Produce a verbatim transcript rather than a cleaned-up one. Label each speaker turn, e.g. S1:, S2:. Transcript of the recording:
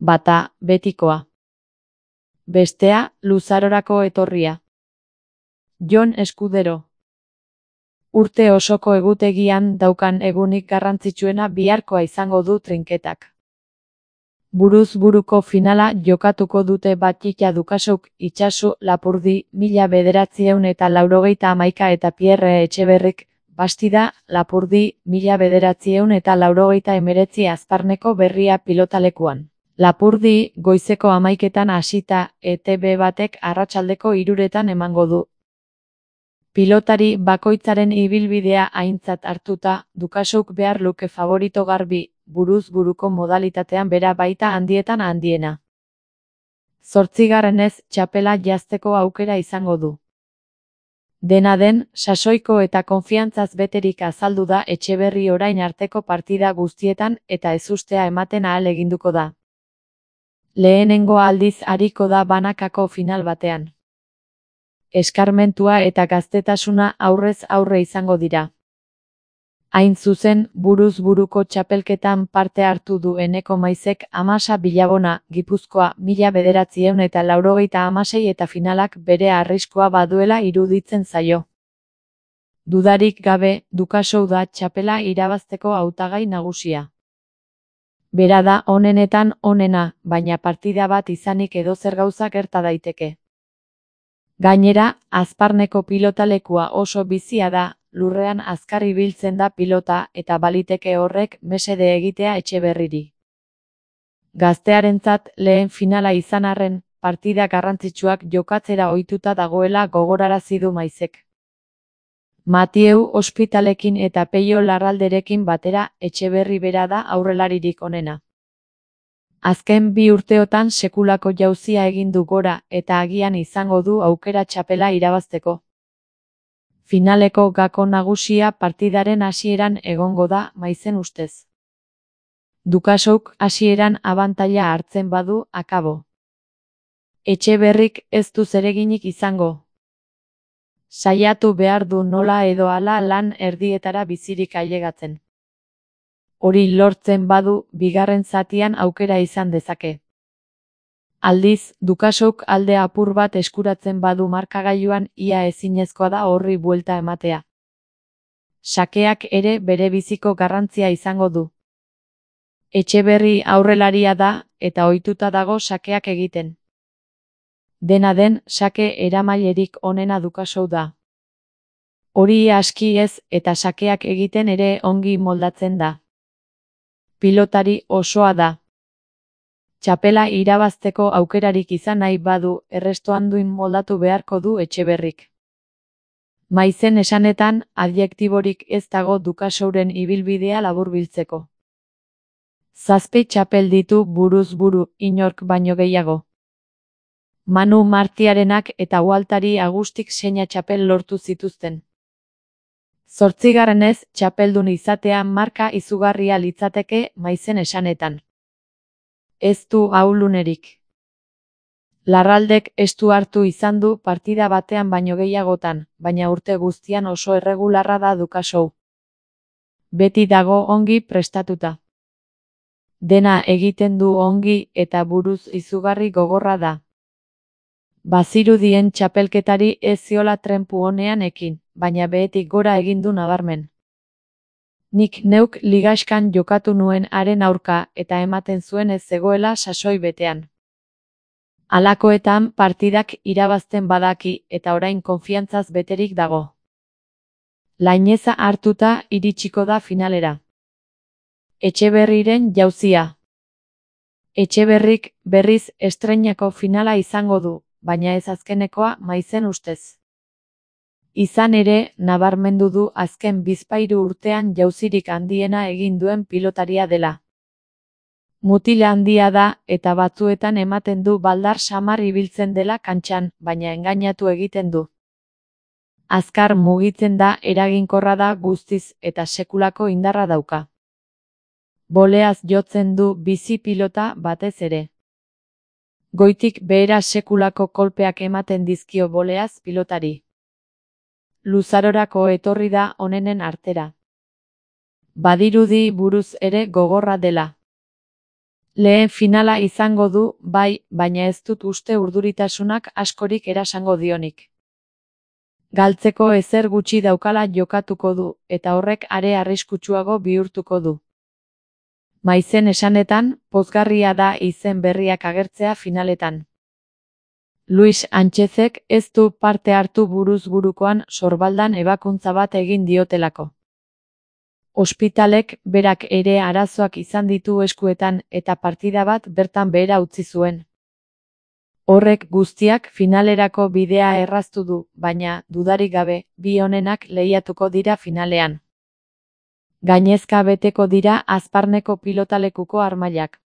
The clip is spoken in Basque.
S1: Bata, betikoa. Bestea, luzarorako etorria. Jon Eskudero. Urte osoko egutegian daukan egunik garrantzitsuena biharkoa izango du trinketak. Buruz buruko finala jokatuko dute Batxita Dukasouk Itsasu Lapurdi mila bederatziehun eta laurogeita hamaika eta Pierre Etxeberrik Bastida Lapurdi mila bederatziehun eta laurogeita hemeretzi Azparneko Berria pilotalekuan. Lapurdi goizeko hamaiketan hasita E T B batek arratsaldeko hiruretan emango du. Pilotari bakoitzaren ibilbidea aintzat hartuta, Dukasouk behar luke favorito garbi, buruz buruko modalitatean bera baita handietan handiena. Zortzigarrenez txapela jazteko aukera izango du. Dena den, sasoiko eta konfiantzaz beterik azaldu da Etxeberri orain arteko partida guztietan eta ezustea ematen ahal eginduko da. Lehenengo aldiz ariko da banakako final batean. Eskarmentua eta gaztetasuna aurrez aurre izango dira. Hain zuzen, buruz buruko txapelketan parte hartu du Eneko Maizek Amasa Bilabona, Gipuzkoa, mila bederatziehun eta laurogeita hamasei eta finalak bere arriskua baduela iruditzen zaio. Dudarik gabe, Dukasou da txapela irabazteko hautagai nagusia. Bera da onenetan onena, baina partida bat izanik edozer gauza gerta daiteke. Gainera, Azparneko pilotalekua oso bizia da, lurrean azkar ibiltzen da pilota eta baliteke horrek mesede egitea Etxeberriri. Gaztearentzat lehen finala izan arren, partida garrantzitsuak jokatzera ohituta dagoela gogorarazi du Maizek. Matieu Ospitalekin eta Peio Larralderekin batera Etxeberri bera da aurrelaririk onena. Azken bi urteotan sekulako jauzia egin du gora eta agian izango du aukera txapela irabazteko. Finaleko gako nagusia partidaren hasieran egongo da Maizen ustez. Dukasouk hasieran abantaila hartzen badu akabo. Etxeberrik ez du zereginik izango. Saiatu behar du nola edo hala lan erdietara bizirik ailegatzen. Hori lortzen badu, bigarren zatian aukera izan dezake. Aldiz, Dukasouk alde apur bat eskuratzen badu markagailuan ia ezinezkoa da horri buelta ematea. Sakeak ere bere biziko garrantzia izango du. Etxeberri aurrelaria da, eta ohituta dago sakeak egiten. Dena den, sake eramailerik onena Dukasou da. Hori aski ez, eta sakeak egiten ere ongi moldatzen da. Pilotari osoa da. Txapela irabazteko aukerarik izan nahi badu, errestoanduin moldatu beharko du Etxeberrik. Maizen esanetan, adjektiborik ez dago Dukasouren ibilbidea laburbiltzeko. Zazpi txapel ditu buruz buru, inork baino gehiago. Manu Martiarenak eta Waltari Agustik seina txapel lortu zituzten. Zortzigarrenez, txapeldun izatea marka izugarria litzateke Maizen esanetan. Ez du ahulunerik. Larraldek estu hartu izan du partida batean baino gehiagotan, baina urte guztian oso erregularra da Dukasou. Beti dago ongi prestatuta. Dena egiten du ongi eta buruz izugarri gogorra da. Bazirudien txapelketari ez ziola trenpu honean ekin, baina behetik gora egin du nabarmen. Nik neuk ligaxkan jokatu nuen haren aurka eta ematen zuen ez zegoela sasoi betean. Halakoetan partidak irabazten badaki eta orain konfiantzaz beterik dago. Laineza hartuta iritsiko da finalera. Etxeberriren jauzia. Etxeberrik berriz estreinako finala izango du, baina ez azkenekoa Maizen ustez. Izan ere, nabarmendu du azken bizpahiru urtean jauzirik handiena egin duen pilotaria dela. Mutil handia da eta batzuetan ematen du baldar samar ibiltzen dela kantxan, baina engainatu egiten du. Azkar mugitzen da, eraginkorra da guztiz eta sekulako indarra dauka. Boleaz jotzen du bizi pilota batez ere. Goitik behera sekulako kolpeak ematen dizkio boleaz pilotari. Luzarorako etorri da onenen artera. Badirudi buruz ere gogorra dela. Lehen finala izango du, bai, baina ez dut uste urduritasunak askorik erasango dionik. Galtzeko ezer gutxi daukala jokatuko du, eta horrek are arriskutsuago bihurtuko du. Maizen esanetan, pozgarria da izen berriak agertzea finaletan. Luis Anchezek ez du parte hartu buruz burukoan sorbaldan ebakuntza bat egin diotelako. Ospitalek berak ere arazoak izan ditu eskuetan eta partida bat bertan behera utzi zuen. Horrek guztiak finalerako bidea erraztu du, baina, dudarik gabe, bi onenak lehiatuko dira finalean. Gainezka beteko dira Azparneko pilotalekuko harmailak.